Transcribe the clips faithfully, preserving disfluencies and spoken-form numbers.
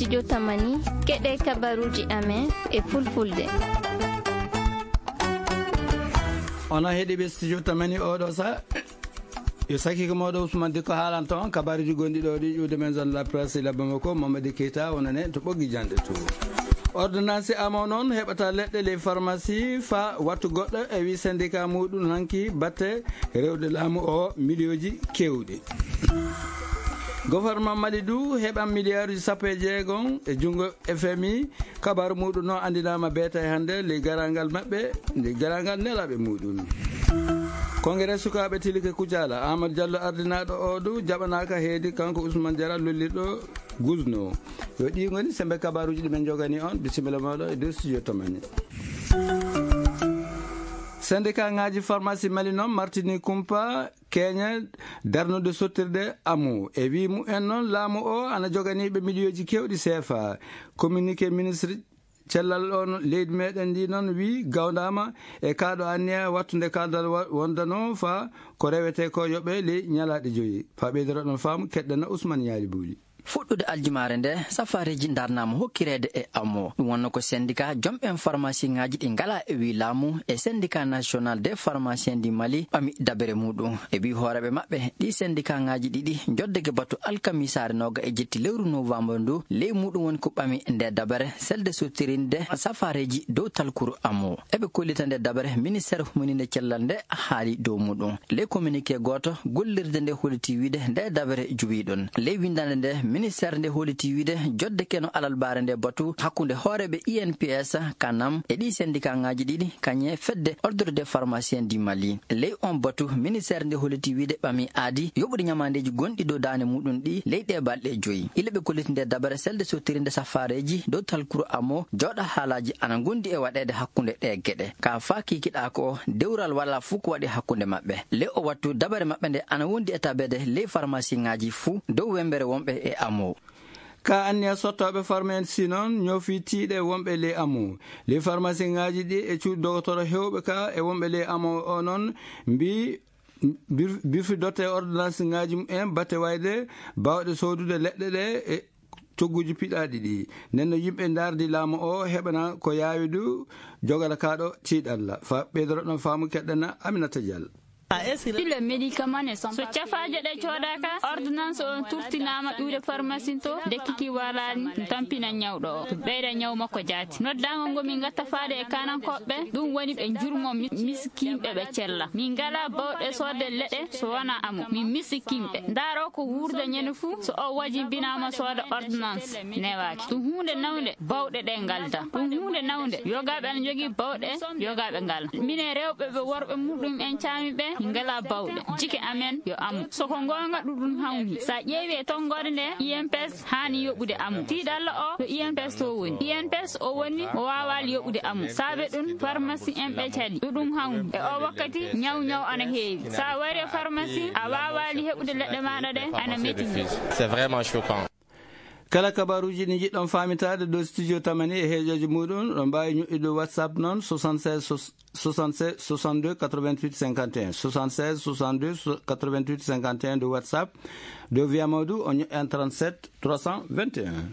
Studio Tamani, keɗe kabaruji amen e fulfulde. Onon heɗiiɓe Studio Tamani oɗo sa, yo saki ko mawɗo Ousmane Dikko haalanto on kabaruji gonɗi ɗo ɗi ƴuwde men zone la presse ila Bamako, Mamadi Keita, wonane to ɓoggi janɗe to. Ordonnance amo noon heɓata leɗɗe les pharmacie fa wattu goɗɗo e wi syndicat muɗum hanki batte rewde laamu o miliyooji kewɗi. Gouvernement Mali du heɓan miliyaaruji sappo e jeegom e junngo F M I. Kabaru muɗum noon anndinaama beeta e hannde ley garangal maɓɓe, nde garangal nelaaɓe muɗum. Congrès sukaaɓe Tilike Kujala, Amadou Diallo ardinaaɗo o du jaɓanaaka heedi kanko Ousmane Diarra lollirɗo Gusno. Yo ɗi ngoni sembe kabaruji ɗi men jogani on. Bisimilla mawɗo e dow studio Tamani. Syndicat ngaji pharmacie Mali noon martini kumpa keñe darnude sottirde amu. E wi mumen noon laamu o ana joganiɓe miliyooji kewɗi C F A. Communiqué ministre cellal on leydi meɗen ndi noon wi gawdama e kaɗo anniya wattude kaldal wa-, wondano fa ko rewete ko yoɓe ley ñalaɗe joyi. Fa ɓeydoro ɗon faamu keɗɗana Ousmane Ñaali Buuli. Fuɗɗude aljumaare nde, safareeji ndarnaama hokkireede e amo. Ɗum wonno ko syndicat jomɓen farmasiŋaaji ɗi ngalaa e wii laamu e Syndicat National des Pharmaciens du Mali ɓami dabere muɗum. E wii hooreeɓe maɓɓe, ɗi syndicatŋaaji ɗiɗi njoddeke batu alkamisaare nooga e jetti lewru novembre ndu, ley muɗum woni ko ɓami nde dabere selde sottirinde safareeji dow talkuru amo. Eɓe kollita nde dabere ministeer humininde cellal nde haali dow muɗum. Ley communiqué gooto, gollirde nde holliti wiide nde dabere juwii ɗon. Ley winndannde nde, ministeer nde holliti wiide jodde keno alalbaare nde batu hakkunde hooreeɓe I N P S, kanam e ɗi syndicat ŋaaji ɗiɗi, kañe fedde Ordre des Pharmaciens du Mali. Ley on batu, ministeer nde holliti wiide ɓami aadi yoɓude ñamaandeeji gonɗi dow daande muɗum ɗi ley ɗe balɗe joyi. Ila ɓe kolliti nde dabere selde sottirinde safareeji dow talkuru amo, jooɗa haalaaji ana ngondi e waɗeede hakkunde ɗe geɗe. Ka faa kiikiɗaa ko dewral walaa fuu ko waɗi hakkunde maɓɓe. Ley o wattu dabare maɓɓe nde ana wondi e tabeede ley farmasiŋaaji fuu dow wembere wonɓe e amo. Ka anniya sottooɓe farmasi noon ñoofi tiiɗe wonɓe ley amo. Ley farmasiŋaaji ɗi e cuuɗi dogotoro heewɓe ka e wonɓe ley amo o noon mbii bir-, birfidotte ordonnanceŋaaji mumen batte wayde baawɗe soodude leɗɗe ɗe e cogguuji piɗaaɗi ɗi. Nden no yimɓe ndaardi laamu o heɓana ko yaawi du jogata kaa ɗo tiiɗalla. Fa ɓeydoro ɗon faamu keɗɗana Aminata Diallo. Pile médicament ne sont. So cafaaje ɗe coodaaka, ordonnance on turtinaama ƴuwde pharmacie to, nde kiki walaani, ɗum tampina ñawɗo o, ɗum ɓeyda ñaw makko jaati. Noddaango ngo min ngatta faade e kaanankooɓe, ɗum woni ɓe njurmo mi-, miskinɓe ɓe cella. Min ngalaa bawɗe soodde leɗɗe so wonaa amo. Min miskinɓe. Ndaaroo ko wuurda ñande fuu, so o wajimbinaama sooda ordonnance, newaaki. Ɗum huunde nawnde, bawɗe ɗe ngalda. Ɗum huunde nawnde, yogaaɓe ana njogii bawɗe, yogaaɓe ngalda. Minen rewɓe ɓe worɓe muɗum en caami ɓe, min ngalaa bawɗe. Jike amen yo amo. So ko ngoonga ɗum ɗum hawni. Sa ƴeewi e tonngoode nde, I M P S haani yoɓude amo. Tiiɗalla o ko I M P S to woni. I M P S o woni o waawaali yoɓude amo. Saabe ɗum, farmasi en ɓe cali. Ɗum ɗum hawni. E o wakkati, ñaw ñaw ana heewi. Sa wari e farmasi, a waawaali heɓude leɗɗe maaɗa ɗe, ana metini. C'est vraiment choquant. Kala kabaruuji ɗi njiɗɗon faamitaade ɗo studio Tamani e heejooji muɗum, ɗon mbaawi ñoƴƴude WhatsApp noon, soixante-seize, soixante-seize, soixante-deux, quatre-vingt-huit, cinquante et un, soixante-seize, soixante-deux, quatre-vingt-huit, cinquante et un de WhatsApp, de Via Mawdu, on ñoƴƴan trente-sept, trois cent vingt et un.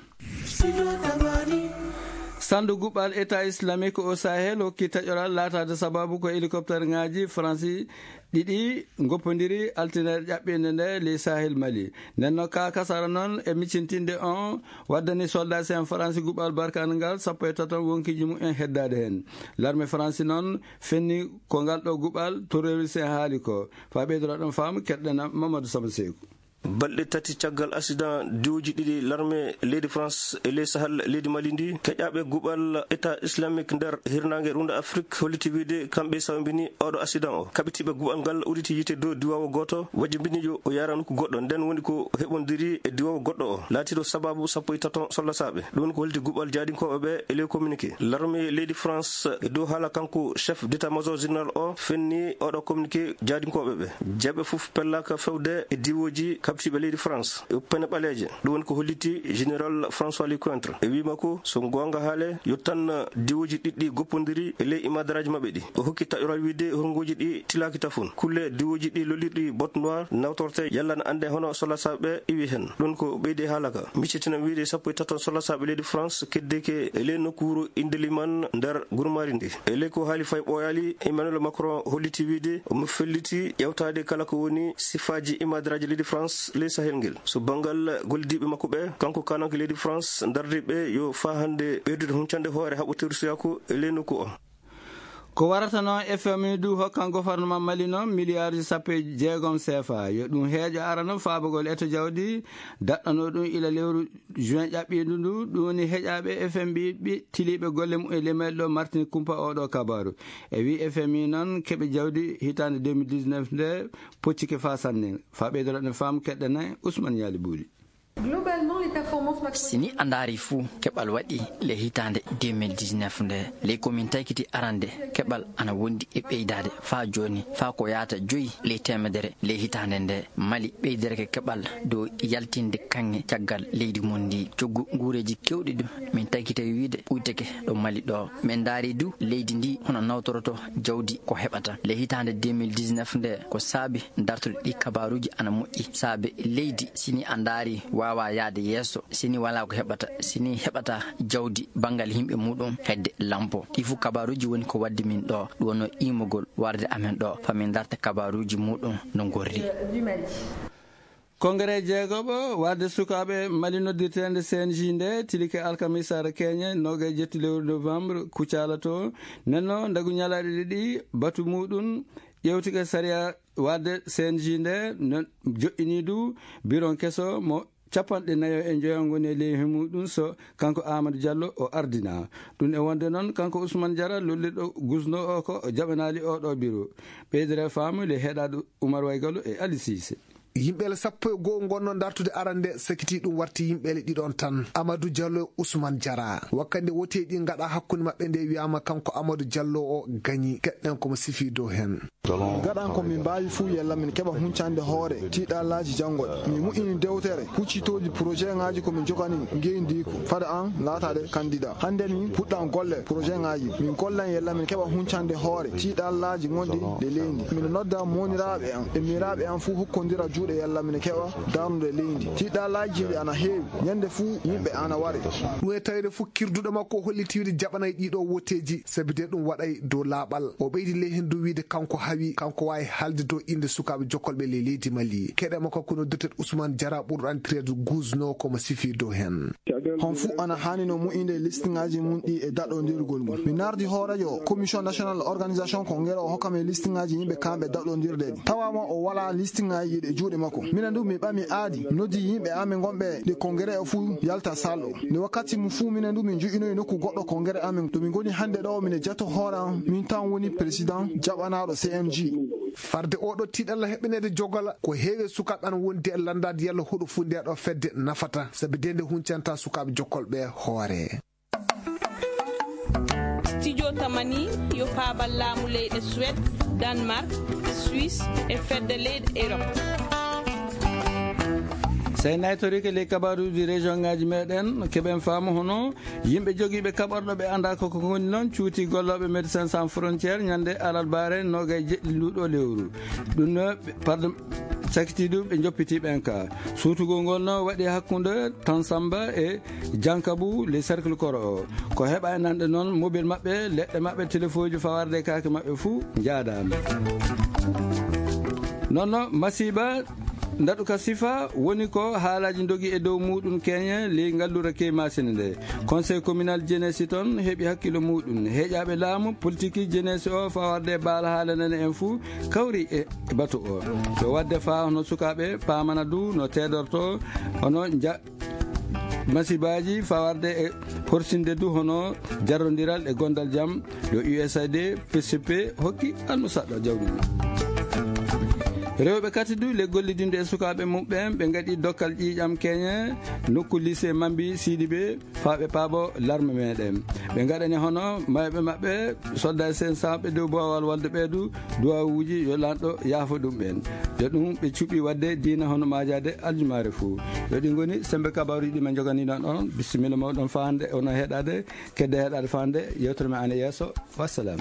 Sandu guɓal État Islamique au Sahel hokki taƴoral laataade sababu ko hélicoptère ŋaaji Faransi ɗiɗi ngoppondiri altine ƴaɓɓinde nde ley Sahel Mali. Nden no ka kasara noon e miccintinde on waddani soldat en Faransi guɓal barkangal sappo e tato wonkiji mumen heddaade heen. L'armée Faransi noon fenni ko ngal ɗo guɓal terroriste en haali ko. Fa ɓeydora ɗon faamu keɗɗana Mamadou Samba Seeku. Balɗe tati caggal accident diwooji ɗiɗi l'armée leydi France e ley Sahel leydi Mali ndi, keƴaaɓe guɓal État Islamique nder hirnaange rundo Afrique holliti wiide kamɓe sawmbini oɗo accident o. Kaɓitiiɓe guɓal ngal uditi yiite dow diwawo gooto, wajimbini yo o yaara nokku goɗɗo, nden woni ko heɓondiri e diwawo goɗɗo o. Laatiiɗo sababu sappo e tato sollasaaɓe. Ɗum ko holliti guɓal jaadinkooɓe ɓe e ley communiqué. L'armée leydi France e dow haala kanko chef d'état-major général o fenni oɗo communiqué jaadinkooɓe ɓe. Jeeɓe fof pellaaka fewde e diwooji Siɓe leydi France e pene ɓaleeje, ɗum woni ko holliti général François Lecointre. E wii makko, so goonga haale, yo tan diwooji ɗiɗi goppondiri e ley imadaraaji maɓɓe ɗi. O hokki taƴoral wiide hornguuji ɗi tilaaki tafon. Kulle diwooji ɗi lolirɗi botte noire nawtorte yalla na annde hono solasaaɓe iwi heen. Ɗum ko ɓeydi e haala ka. Miccitinam wiide sappo e taton solasaaɓe leydi France keddeke e ley nokkuuru Indeliman nder gurmaari ndi. E ley ko haali fay ɓooyaali, Emmanuel Macron holliti wiide omo felliti ƴeewtaade kala ko woni sifaaji imadaraaji leydi France ley Sahel ngel. So banngal gollidiiɓe makko ɓe, kanko kaananke leydi France dardiiɓe yo faa hannde ɓeydude huncande hoore haɓoteeru suyaaku e ley nokku o. Ko warata noon F M I du hokkan gofarnama Mali noon miliyaarji sappo e jeegom C F A. Yo ɗum heeƴo arano faabagol eto jawdi daɗɗano ɗum ila lewru juin ƴaɓɓiindu ndu. Ɗum woni heƴaaɓe F M I ɓe tiliiɓe golle mum e lemel ɗo martini kumpa oɗo kabaru. E wi F M I noon keɓe jawdi hitaande deux mille dix-neuf nde poccike faa sanne. Faa ɓeydoro ɗen faamu keɗɗen Ousmane Yaali Buuli. Globalement, les performances macro- Sini a ndaari fuu keɓal waɗi le hitaande deux mille dix-neuf nde, ley ko min taykiti arande keɓal ana wondi e ɓeydaade faa jooni, faa ko yaata joyi ley teemedere ley hitaande nde. Mali ɓeydireke keɓal dow yaltinde kaŋŋe caggal leydi mum ndi. Coggu nguureeji keewɗi du min taykiti wiide ɓuyteke ɗo Mali ɗo. Min ndaari du leydi ndi hono nawtoroto jawdi ko heɓata. Ley hitaande deux mille dix-neuf nde ko saabi dartude ɗi kabaaruuji ana moƴƴi. Saabe leydi sini a ndaari waawa yaade yeeso, sini walaa ko heɓata, sini heɓata jawdi banngal yimɓe muɗum hedde lampo. Ɗi fuu kabaaruuji woni ko waddi min ɗo, ɗum wonno iimogol warde amen ɗo, faa min darta kabaaruuji muɗum no ngorri. Konngere jeegoɓo warde sukaaɓe Mali noddirteende C N J nde tilike alkamisa ara keñe noogay jetti lewru novembre kucala to nenno ndagu ñalaaɗe ɗiɗi batu muɗum ƴewtike sariya warde C N J nde no joɗɗini du biron keso mo capanɗe nayo e njoyo ngoni e leyhi muɗum so kanko Amadou Diallo o ardina. Ɗum e wonde noon kanko Ousmane Diarra lollirɗo gusno o ko o jaɓanaali oɗo biro. Ɓeydere faamu le heɗaɗo Oumar Waygallo e Ali Cissé. Yimɓeele sappo e goo ngonno dartude arande sakiti ɗum warti yimɓeele ɗiɗon tan, Amadou Diallo e Ousmane Diarra. Wakkande woteeji ɗi ngaɗa hakkunde maɓɓe nde wiyama kanko Amadou Diallo o gañi. Keɗɗen komo sifi dow heen. Gaɗan ko min mbaawi fuu yalla min keɓa huncande hoore tiiɗalaaji janngoɗe. Min muƴƴini dewtere huccitooji projet ŋaaji ko min jogani ngeyndi ko fada an laataade kandida. Hannde min puɗɗan golle projet ŋaaji. Min gollan yalla min keɓa huncande hoore tiiɗalaaji gonɗi ɗe leydi. Min nodda mooniraaɓe an e miiraaɓe an fuu hokkondira juuɗe yalla min keɓa darnude leydi. Tiiɗalaaji ɗi ana heewi. Ñande fuu yimɓe ana ware. Ɗum e tawde fof kirduɗo makko o holliti wiide jaɓanay ɗiɗo woteeji, sabi de ɗum waɗay dow laaɓal. O ɓeydi ley heen dow wiide kanko hawi, kanko waawi haalde dow innde sukaaɓe jokkolɓe ley leydi Mali. Keɗe makko ko noddirteeɗo Ousmane Diarra ɓurɗo anndireede Guzno komo sifi dow heen. Hon fuu ana haani no mu'inde listiŋaaji mum ɗi e daɗondirgol mum. Mi nardi hooreejo Commission Nationale Organisation Congrès o hokkam e listiŋaaji yimɓe kamɓe daɗondirde ɗi. Tawaama o walaa listiŋaaji ɗi e juuɗe makko. Minen du mi ɓami aadi, noddi yimɓe amen gonɓe ɗe congrès o fuu yalta salle o. Nde wakkati mum fuu minen du min joƴinoyi nokku goɗɗo congrès amen. To min ngoni hannde ɗo, mine jato hoore am, min tan woni président jaɓanaaɗo C M J. Farde oɗo tiiɗalla heɓɓineede jogola, ko heewi e sukaaɓe ana wondi e lanndaade yalla hoɗo fuu nde ɗo fedde nafata, sabi de nde huncanta sukaaɓe jokkolɓe hoore. Studio Tamani yo paabal laamu leyɗe Suède, Danemark, Suisse e fedde leyɗe Europe. Sey naytorike ley kabaruuji région ŋaaji meɗen, keɓen faamu hono yimɓe jogiiɓe kaɓorɗo ɓe anndaa ko ko ngoni noon cuuti gollooɓe Médecins Sans Frontières ñande alarbaare noogay jeɗɗi nduɗo lewru. Ɗum no ɓe, pardon, sakiti ɗum ɓe njoppiti ɓen ka. Suutugol ngol no waɗi hakkunde Tansamba e Jankabu, le cercle koro o. Ko heɓa e nanɗe noon, mobil maɓɓe, leɗɗe maɓɓe, telefoji fawarde e kaake maɓɓe fuu njaadaama. Noon no masiiba ndaɗu ka sifa woni ko haalaaji ndogi e dow muuɗum keñe ley ngallura key maasine nde. Conseil communal jeunesse toon heɓi hakkilo muuɗum. Heƴaaɓe laamu, politiki jeunesse o fawarde e baala haala nane en fuu kawri e batu o. Ko wadde faa hono sukaaɓe paamana du no teedorto hono nja-, masibaaji fawarde e horsinde du hono jarrondiral e gondal jam ɗo U S A I D, P C P hokki almusaɗɗo jawdi mum. Rewɓe kadi du le gollidinde e sukaaɓe muɓɓen, ɓe ngaɗi dokkal ƴiiƴam keñe nokku lycée Mambi Sidibe, faa ɓe paabo larme meɗen. Ɓe ngaɗani hono mayɓe maɓɓe, soldat sen saaɓe dow boowal walde ɓeedu duwawuuji, yo lanɗo yaafo ɗum ɓen. Yo ɗum ɓe cuɓi waɗde diina hono maajaade aljumaare fuu. Yo ɗi ngoni sembe kabaaruuji ɗi men joganiɗon on. Bisimilla mawɗon faande ono heɗaade, kedde heɗaade faande yewtere men ane yeeso. Wassalam.